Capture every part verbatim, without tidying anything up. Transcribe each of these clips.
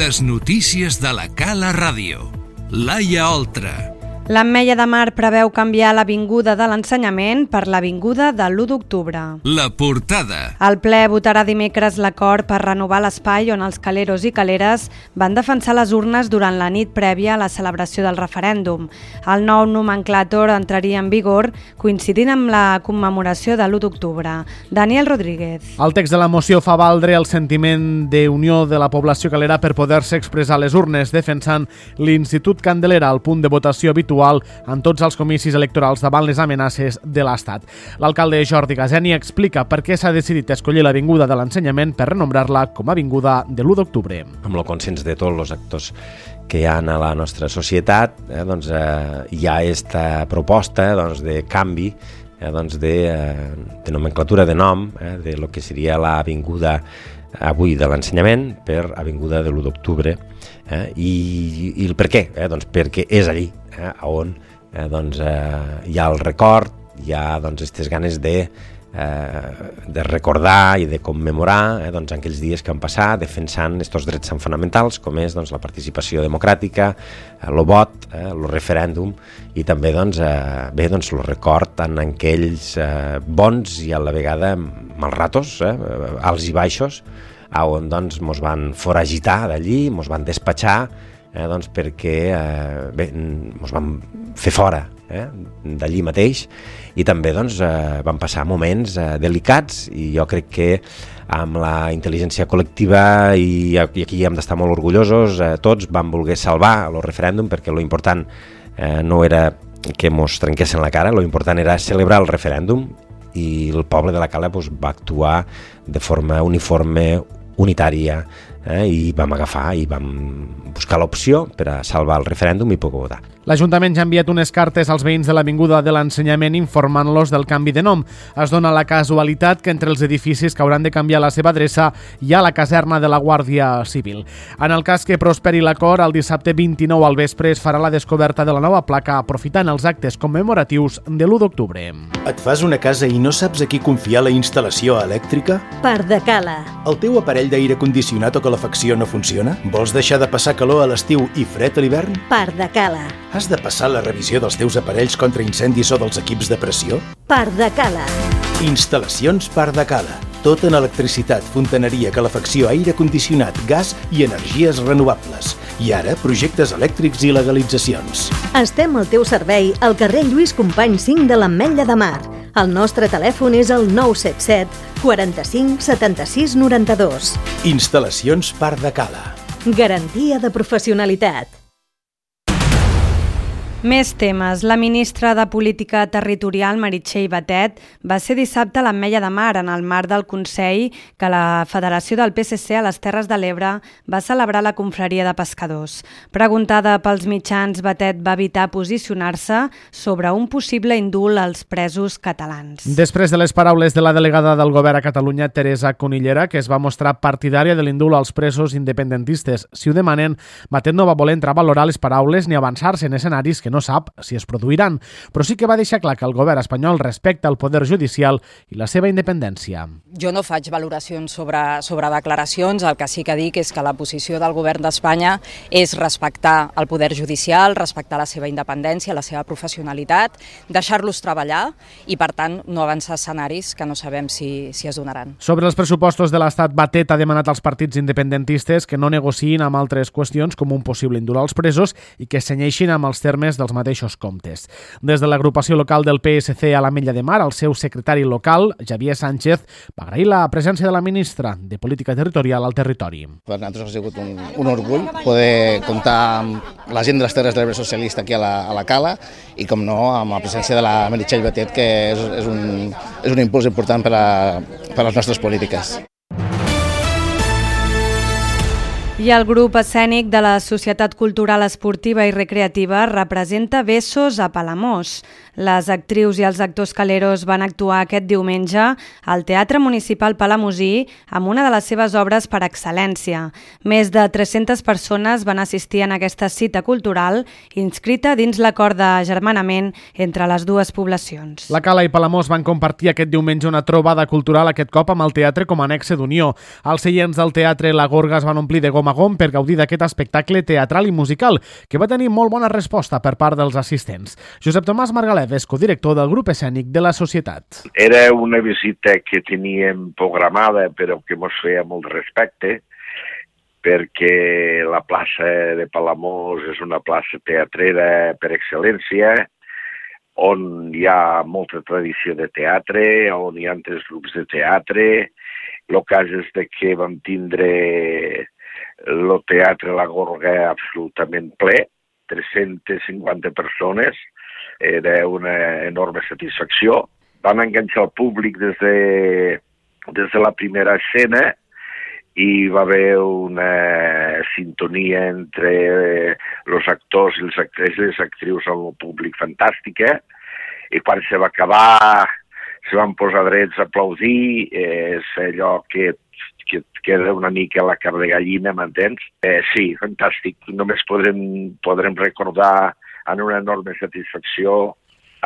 Les notícies de la Cala Ràdio. Laia Oltra. L'Ametlla de Mar preveu canviar l'Avinguda de l'Ensenyament per l'Avinguda de l'u d'octubre. La portada. El ple votarà dimecres l'acord per renovar l'espai on els caleros i caleres van defensar les urnes durant la nit prèvia a la celebració del referèndum. El nou nomenclàtor entraria en vigor coincidint amb la commemoració de l'u d'octubre. Daniel Rodríguez. El text de la moció fa valdre el sentiment d'unió de la població calera per poder-se expressar a les urnes, defensant l'Institut Candelera al punt de votació habitual en tots els comicis electorals davant les amenaces de l'Estat. L'alcalde Jordi Gazeni explica per què s'ha decidit escollir l'Avinguda de l'Ensenyament per renombrar-la com a Avinguda de l'u d'octubre. Amb el consens de tots els actors que hi ha a la nostra societat, eh, doncs, eh, hi ha aquesta proposta doncs, de canvi eh, doncs de, eh, de nomenclatura de nom, eh, de lo que seria l'Avinguda avui de l'Ensenyament per Avinguda de l'u d'octubre. Eh, i, I el per què? Eh, doncs perquè és allí eh, on eh, doncs, eh, hi ha el record, hi ha doncs, aquestes ganes de, eh, de recordar i de commemorar eh, doncs, aquells dies que han passat defensant aquests drets fonamentals com és doncs, la participació democràtica, el vot, eh, el referèndum i també doncs, eh, bé, doncs, el record en aquells eh, bons i a la vegada mal ratos, eh, alts i baixos, on doncs, mos van foragitar d'allí, mos van despatxar, eh, doncs, perquè eh, bé, mos van fer fora eh, d'allí mateix i també doncs, eh, van passar moments eh, delicats i jo crec que amb la intel·ligència col·lectiva i, i aquí hem d'estar molt orgullosos, eh, tots van voler salvar el referèndum perquè lo important eh, no era que mos trenquessin la cara, lo important era celebrar el referèndum i el poble de la Cala doncs, va actuar de forma uniforme, unitària, eh, i vam agafar i vam buscar l'opció per a salvar el referèndum i poder votar. L'Ajuntament ja ha enviat unes cartes als veïns de l'Avinguda de l'Ensenyament informant-los del canvi de nom. Es dona la casualitat que entre els edificis que hauran de canviar la seva adreça hi ha la caserna de la Guàrdia Civil. En el cas que prosperi l'acord, el dissabte vint-i-nou al vespre es farà la descoberta de la nova placa aprofitant els actes commemoratius de l'u d'octubre. Et fas una casa i no saps a qui confiar la instal·lació elèctrica? Pardacala. El teu aparell d'aire condicionat o calefacció no funciona? Vols deixar de passar calor a l'estiu i fred a l'hivern? Pardacala. Has de passar la revisió dels teus aparells contra incendis o dels equips de pressió? Pardacala. Instal·lacions Pardacala. Tot en electricitat, fontaneria, calefacció, aire condicionat, gas i energies renovables. I ara, projectes elèctrics i legalitzacions. Estem al teu servei al carrer Lluís Companys cinc de l'Ametlla de Mar. El nostre telèfon és el nou set set, quaranta-cinc, setanta-sis, noranta-dos. Instal·lacions Pardacala. Garantia de professionalitat. Més temes. La ministra de Política Territorial, Meritxell Batet, va ser dissabte a l'Ametlla de Mar en el marc del Consell que la Federació del P S C a les Terres de l'Ebre va celebrar la confraria de pescadors. Preguntada pels mitjans, Batet va evitar posicionar-se sobre un possible indult als presos catalans. Després de les paraules de la delegada del Govern a Catalunya, Teresa Conillera, que es va mostrar partidària de l'indult als presos independentistes, si ho demanen, Batet no va voler entrar a valorar les paraules ni avançar-se en escenaris que no sap si es produiran, però sí que va deixar clar que el govern espanyol respecta el poder judicial i la seva independència. Jo no faig valoracions sobre, sobre declaracions, el que sí que dic és que la posició del govern d'Espanya és respectar el poder judicial, respectar la seva independència, la seva professionalitat, deixar-los treballar i, per tant, no avançar escenaris que no sabem si, si es donaran. Sobre els pressupostos de l'Estat, Batet ha demanat als partits independentistes que no negociïn amb altres qüestions com un possible indult als presos i que senyeixin amb els termes dels mateixos comptes. Des de l'agrupació local del P S C a l'Ametlla de Mar, el seu secretari local, Javier Sánchez, va agrair la presència de la ministra de Política Territorial al territori. Per nosaltres ha sigut un, un orgull poder comptar amb la gent de les Terres de l'Ebre socialista aquí a la, a la Cala i, com no, amb la presència de la Meritxell Batet, que és, és, un, és un impuls important per a, per a les nostres polítiques. I el grup escènic de la Societat Cultural Esportiva i Recreativa representa Bessos a Palamós. Les actrius i els actors caleros van actuar aquest diumenge al Teatre Municipal Palamosí amb una de les seves obres per excel·lència. Més de tres-centes persones van assistir en aquesta cita cultural inscrita dins l'acord de germanament entre les dues poblacions. La Cala i Palamós van compartir aquest diumenge una trobada cultural, aquest cop amb el teatre com a nexe d'unió. Els seients del teatre La Gorga es van omplir de goma Magón per gaudir d'aquest espectacle teatral i musical, que va tenir molt bona resposta per part dels assistents. Josep Tomàs Margalef és codirector del grup escènic de la Societat. Era una visita que teníem programada, però que mos feia molt respecte, perquè la plaça de Palamós és una plaça teatrera per excel·lència, on hi ha molta tradició de teatre, on hi ha altres grups de teatre. El cas és que vam tindre el teatre La Gorga absolutament ple, tres-centes cinquanta persones, era una enorme satisfacció. Van enganxar el públic des de, des de la primera escena, i va haver una sintonia entre els actors i les actrius, les actrius amb el públic fantàstica, i quan se va acabar se van posar drets a aplaudir, és allò que, que queda una mica la carn de gallina, m'entens? Eh, sí, fantàstic, només podrem, podrem recordar amb una enorme satisfacció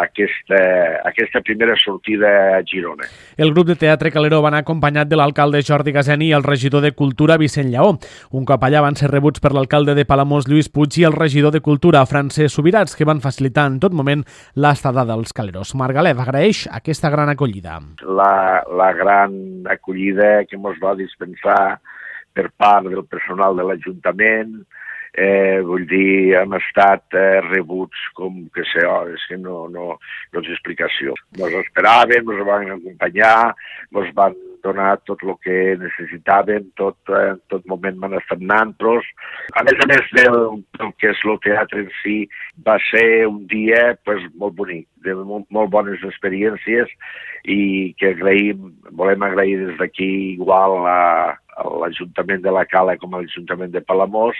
Aquesta, aquesta primera sortida a Girona. El grup de teatre Calero va anar acompanyat de l'alcalde Jordi Gaseni i el regidor de Cultura Vicent Lleó. Un cop allà van ser rebuts per l'alcalde de Palamós Lluís Puig i el regidor de Cultura Francesc Subirats, que van facilitar en tot moment l'estada dels Caleros. Margalef agraeix aquesta gran acollida. La, la gran acollida que ens va dispensar per part del personal de l'Ajuntament. Eh, vull dir, hem estat eh, rebuts com que sé, oh, és que no, no, no és explicació. Ens esperàvem, ens van acompanyar, ens van donar tot el que necessitàvem, tot, eh, en tot moment van estar nanpros. A més a més del, del que és el teatre en si, va ser un dia pues, molt bonic, de molt, molt bones experiències, i que agraïm, volem agrair des d'aquí igual a a l'Ajuntament de la Cala com a l'Ajuntament de Palamós,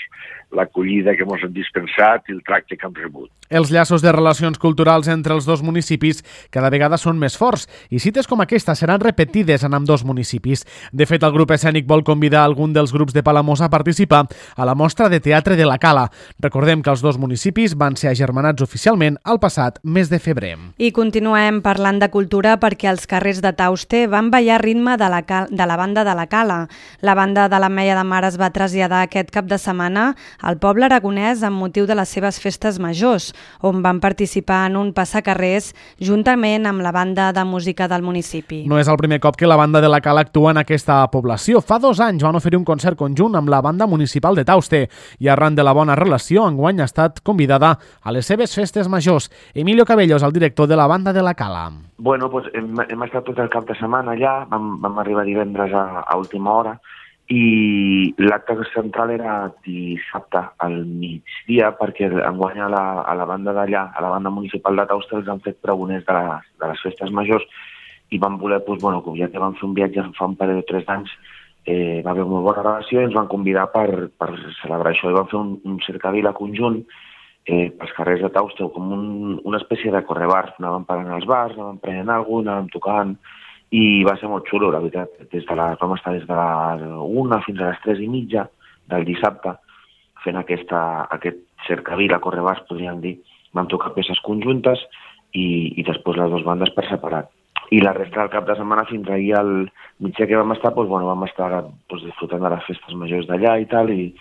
l'acollida que ens han dispensat i el tracte que hem rebut. Els llaços de relacions culturals entre els dos municipis cada vegada són més forts i cites com aquesta seran repetides en ambdós municipis. De fet, el grup escènic vol convidar algun dels grups de Palamós a participar a la mostra de teatre de la Cala. Recordem que els dos municipis van ser agermanats oficialment el passat mes de febrer. I continuem parlant de cultura perquè els carrers de Tauste van ballar ritme de la, cal... de la banda de la Cala. La banda de l'Ametlla de Mar es va traslladar aquest cap de setmana al poble aragonès amb motiu de les seves festes majors, on van participar en un passacarrers juntament amb la banda de música del municipi. No és el primer cop que la banda de la Cala actua en aquesta població. Fa dos anys van oferir un concert conjunt amb la banda municipal de Tauste i arran de la bona relació enguany ha estat convidada a les seves festes majors. Emilio Cabellos, el director de la banda de la Cala. Bueno, pues hem, hem estat tot el cap de setmana allà, vam, vam arribar divendres a, a última hora i l'acte central era dissabte al migdia perquè enguany a la, a la banda d'allà, a la banda municipal de Tauste els han fet pregoners de les, de les festes majors i van voler, doncs, bueno, com ja que vam fer un viatge fa un parell de tres anys, eh, va haver una bona relació i ens van convidar per, per celebrar això i van fer un, un cercavila conjunt Eh, pels carrers de Tauste, com un, una espècie de correbars. Anàvem parant als bars, anàvem prenent alguna cosa, anàvem tocant, i va ser molt xulo, la veritat. Des de la, vam estar des de les una fins a les tres i mitja del dissabte, fent aquesta, aquest cercavila, correbars, podríem dir. Vam tocar peces conjuntes i, i després les dues bandes per separat. I la resta del cap de setmana, fins ahir al migdia que vam estar, doncs, bueno, vam estar doncs, disfrutant de les festes majors d'allà i tal, i,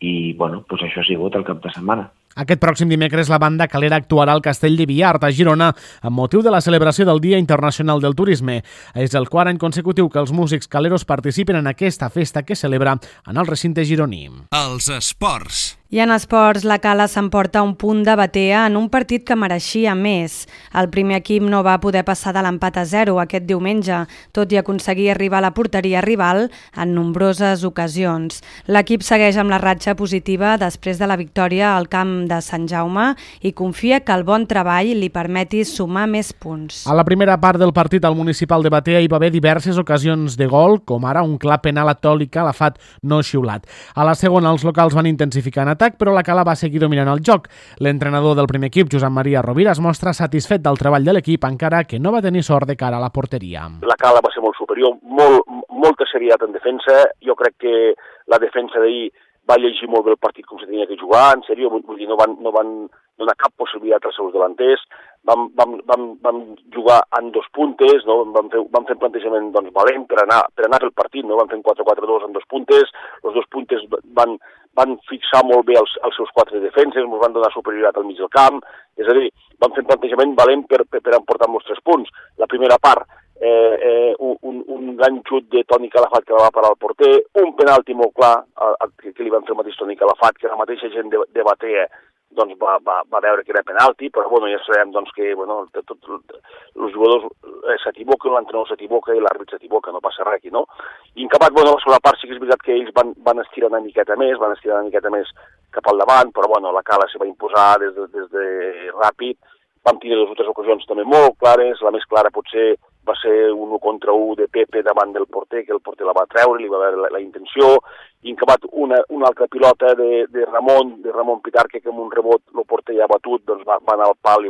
i bueno, doncs això ha sigut el cap de setmana. Aquest pròxim dimecres la banda Calera actuarà al Castell de Viart, a Girona, amb motiu de la celebració del Dia Internacional del Turisme. És el quart any consecutiu que els músics caleros participen en aquesta festa que celebra en el recinte gironí. Els esports. I en esports, la Cala s'emporta un punt de Batea en un partit que mereixia més. El primer equip no va poder passar de l'empat a zero aquest diumenge, tot i aconseguir arribar a la porteria rival en nombroses ocasions. L'equip segueix amb la ratxa positiva després de la victòria al camp de Sant Jaume i confia que el bon treball li permeti sumar més punts. A la primera part del partit al municipal de Batea hi va haver diverses ocasions de gol, com ara un clar penal a Toli Calafat no xiulat. A la segona els locals van intensificar en atac, però la Cala va seguir dominant el joc. L'entrenador del primer equip, Josep Maria Rovira, es mostra satisfet del treball de l'equip, encara que no va tenir sort de cara a la porteria. La Cala va ser molt superior, molt, molta serietat en defensa. Jo crec que la defensa d'ahir va llegir molt bé el partit com se tenia que jugar, en sèrio, vull dir, no van, no van donar cap possibilitat als seus delanters, vam, vam, vam, vam jugar en dos puntes, no? vam, fer, vam fer un plantejament doncs, valent per anar, per anar pel partit, no? Vam fer un quatre quatre dos en dos puntes, els dos puntes van, van fixar molt bé els, els seus quatre defenses, ens van donar superioritat al mig del camp, és a dir, vam fer un plantejament valent per, per, per emportar molts tres punts. La primera part, eh, eh, un, un gran xut de Toni Calafat que va parar al porter, un penalti molt clar a, a, que, que li van fer el mateix Toni Calafat, que la mateixa gent de, debatia, doncs va, va, va veure que era penalti, però bueno, ja sabem doncs, que bueno, tot, tot, els jugadors s'equivoquen, l'entrenador s'equivoca i l'àrbit s'equivoca, no passa res aquí, no? I en acabat, bueno, la segona part sí que és veritat que ells van, van estirar una miqueta més, van estirar una miqueta més cap al davant, però bueno, la Cala se va imposar des de, des de ràpid, vam tenir dues o tres ocasions també molt clares, la més clara potser va ser un u contra u de Pepe davant del porter, que el porter la va treure, li va veure la, la intenció, i en acabat una, una altra pilota de, de Ramon, de Ramon Pitarque, que amb un rebot el porter ja batut, doncs va, va anar al pal,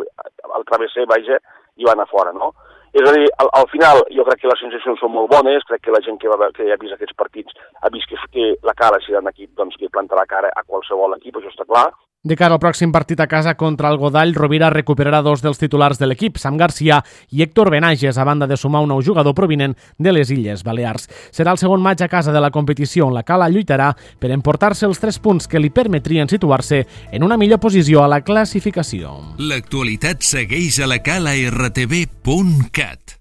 al travesser, vaja, i va anar fora, no? És a dir, al, al final jo crec que les sensacions són molt bones, crec que la gent que, va, que ha vist aquests partits ha vist que, que la Cala serà un equip doncs, que planta la cara a qualsevol equip, això està clar. De cara al pròxim partit a casa contra el Godall, Rovira recuperarà dos dels titulars de l'equip, Sam Garcia i Héctor Benages, a banda de sumar un nou jugador provinent de les Illes Balears. Serà el segon maig a casa de la competició on la Cala lluitarà per emportar-se els tres punts que li permetrien situar-se en una millor posició a la classificació. L'actualitat segueix a la cala r t v punt cat.